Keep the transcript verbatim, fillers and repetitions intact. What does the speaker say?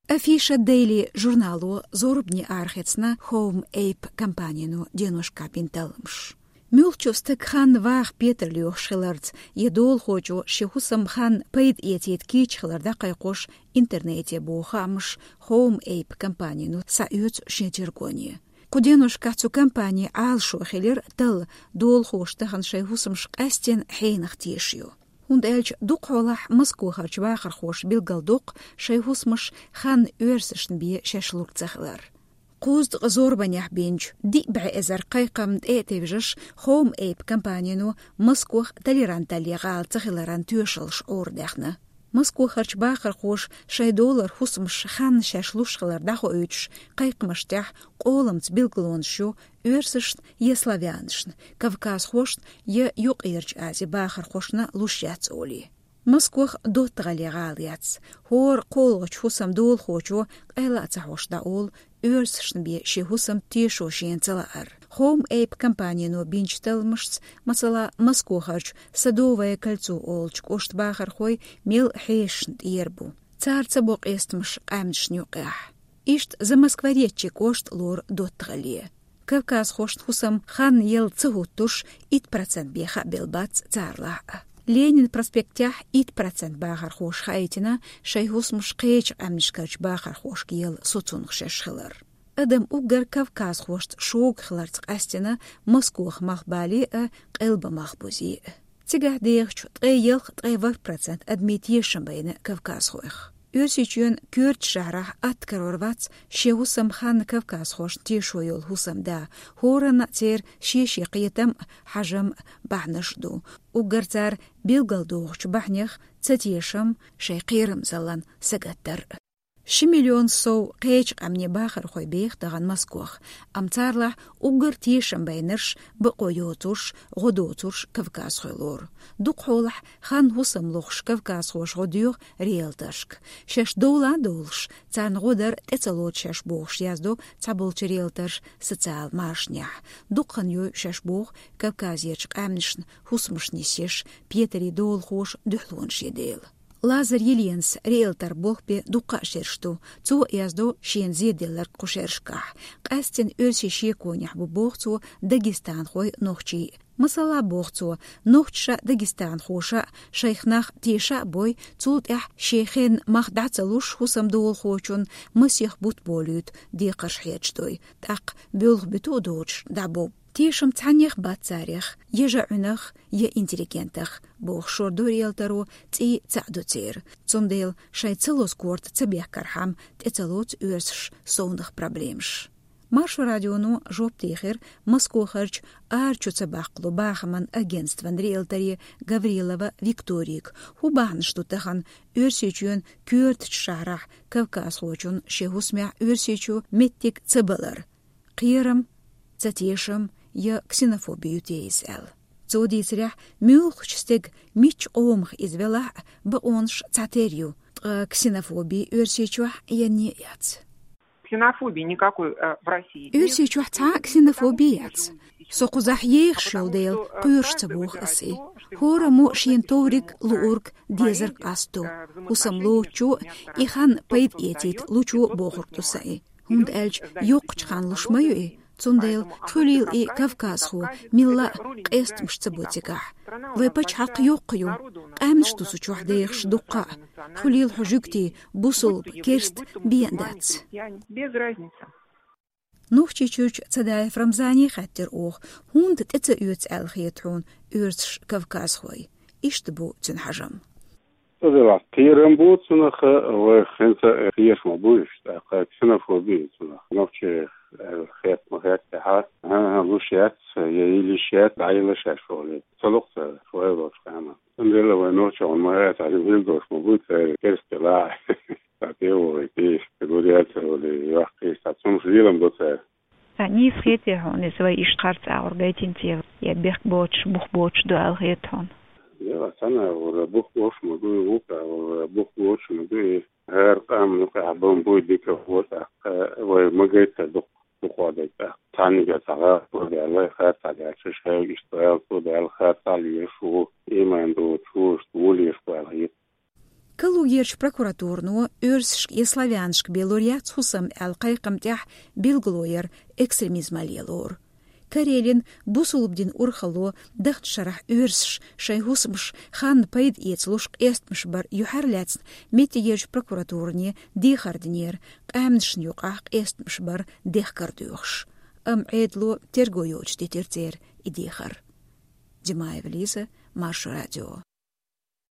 Афиша Daily журнало зорбане арахецна Home App компанино деношка бинталмаш. Муьлххачу стаг хан ваха петар лоьхуш хиларца я долахочо шен хӀусам хан пайда эцийта кийча хилар дӀакхайкхош интернете боху хаамаш Home App компанино схьаоьцу шен тергоне. Кху деношкахь цу компани Ӏалашо хилира талла долахоша тахана шайн хӀусамаш къаьстина хьенах тешайо. ХӀунда аьлча дукхахьолахь Москохарчу бахархоша билгалдоккху шайн хӀусамаш хан оьрсашна бен шаьш лур ца хилар. Кхузткъа зорбанехь бинчу диъ бӀе эзар кхайкхамна тӀе а тевжаш, Home App компанино Москох толеранталле гӀала ца хиларан тоьшаллаш Ӏорадаьхна. Москохарчу бахархоша шайн долара хӀусамаш хан шаьш луш хилар дӀахоуьйтуш кхайкхамаш тӀехь къоламца билгалонаш ю оьрсашна я славянашна, кавказхошна я Юккъерчу Ази бахархошна луш яц олий. Москох доттагӀалле гӀала яц. ХӀора кхоалгӀачу хӀусам долахочо къайла а ца хьош дӀаолу оьрсашна бен шен хӀусам тешо шена ца лаар. Home App компанино бинчу талламашца, масала, Москохарчу Садовое кольцо олучу кӀоштан бахархой мел хьешашна тӀера бу. Цара ца бо къестамаш къаьмнашна юкъехь. Иштта Замоскворечье кӀошта лору доттагӀалле. Кавказхошна хӀусам хан елла ца хӀуттуш, итт процент бен хаа белла бац царалахь а. Ленин проспектехь итт процент бахархоша хаийтина шайн хӀусамаш кхечу къаьмнашкарчу бахархошка елла соцунах шаьш хилар. Адам уггар кавказхошца шога хиларца къаьстина Москох мах бале а, Къелба мах бузе а. Цигахь дехачу ткъе ялх-ткъе ворхӀ процент адамийн тешам байна кавказхойх. Оьрсийчоьнан коьртачу шахьарахь атта карор вац шен хӀусам хан кавказхошна тешо йолу хӀусамда, хӀоранна а церан шен-шен кхетам а, хьажам а, бахьанаш а ду. Уггар цара билгалдохучу бахьанех цатешам, шайн кхерамзаллан сагатдар а. Ши миллион сов кхечу къаьмнийн бахархой беха тахана Москох, амма царалахь уггар тешам байнарш, бакъо йоцурш, гӀо доцурш кавказхой лору. Дукхахьолахь хан хӀусам лохуш кавказхоша гӀо доьху риэлторшка. Шаьш довла а довлуш, царна гӀо дар тӀе ца лоцу шаьш бохуш яздо цхьаболчу риэлторша социал машанехь. Дукха хан йой шаьш боху Кавказерчу къаьмнашна хӀусамаш нисъеш петарийн долахоша дуьхьалонаш ян дела. Лазарь Еленас риэлтор болх бен дуккха а шераш ду. Цо а яздо шена зеделларг кху шерашкахь. Къаьстина оьрсийн шеконехь бу, боху цо, дагестанхой, нохчий. Масала, боху цо, нохчаша а, дагестанхоша а шайх нах теша а бой, цул тӀаьхьа шен хенна мах дӀа ца луш хӀусам долахочун масех бутт болуьйту декхарш хьерчадой, тӀаккха боьлху буьту а доцуш дӀабо. Тешам цхьаннех бац царех, я жаӀуьнах, я интеллигентах, боху шордо риэлторо, цӀий цхьаъ ду церан. Цундела шайн ца лозу корта ца бехкархьама тӀе ца лоцу оьрсаша совнаха проблемаш. Маршо радионо жоп дийхира Москохарчу арачу ца баккхало бахаман агентстван риэлторе Гаврилова Викторига, хӀун бахьанаш ду тахана Оьрсийчоьнан коьртачу шахьарахь кавказхочун шен хӀусамехь Оьрсийчу меттиг ца балар. Кхерам, ца тешам я ксенофоби ю те иза аьлла. Цо дийцарехь, муьлххачу стеган мичча къомах иза велахь а, бакъонаш цхьатерра ю, ткъа ксенофоби Оьрсийчохь енне а яц. Ксенофобии никакой, э, в России нет. Оьрсийчохь цхьа а ксенофоби яц. Со кхузахь ехаш йолу дела, кхоьруш ца боху ас и. ХӀораммо шена товриг, луург, дезарг къасто. ХӀусам лоцучо, и хан пайда эцийта лучо бохург ду сан и. ХӀунда аьлча йоккхачу хан луш ма ю и, цундела хуьлийла и кавказхо, милла а къестамаш ца бо цигахь. Вай пачхьалкх йоккха ю, къаьмнаш ду цу чохь дехаш дуккха а. Хуьлийла хьо жуьгтий, бусулба, керста бен дац. Без разницы. Нохчийчуьрчу Цадаев Рамзане хаьттира оха, хӀунда тӀе ца оьцу аьлла хета хьуна оьрсаш кавказхой? Иштта бу цуьнан хьажам. Цу делахь кхерам бу цунах, вай хӀинца кхераш ма бу уьш, тӀаккха ксенофоби ю цунах. Нохчех аьлла хетта ма хетта тӀаьхьа, хӀан-хӀа, луш яц, я йилла йиш яц, дӀайилла шаьш олий. Ца ло-кх цара, вай лоцу хенахь. Цундела вай нохчо хьуна ма хетта, хьуна хила долуш ма бу церан керста лаахь. Цхьа тӀе а вогӀий, тӀе иштта гур яц олий, йоккхий, цхьа цунах лелам до цара. Ткъа нийса хетий хьуна иза, вай иштта харц агӀор гайтина те, я бехк боцуш, бух боцуш ду аьлла хета хьуна? Я, цхьана агӀор бух боцуш ма ду и, вукху агӀор бух боцуш ма ду и. ХӀара къам юкъахь бан буй дика хӀоттахь, вай ма гайта дукха, дукха дайта. Цхьаьнниг а цхьа гӀазот ду аьлла, харц а даьлча, шайга иштта аьлла, цо даьлла харц а лелаш ву, иман доцуш ву, иштта ву лелаш ву аьлла хета. Калугерчу прокуратурано Оьрсашка я славянашка бе лур яц хӀусам аьлла кхайкхам тӀехь билгало яр экстремизмал лелор. Карелин бусулба дин урхалло даханчу шарахь оьрсаш шайн хӀусамаш ханна пайда эцалуш къестамаш бар юьхьар лаьцна меттигерчу прокуратуране дехар динера, къаьмнашна юкъахь къестамаш бар дехкар доьхуш. Амма Ӏедало терго йоцуш дитира церан и дехар. Димаева Лиза, Маршо радио.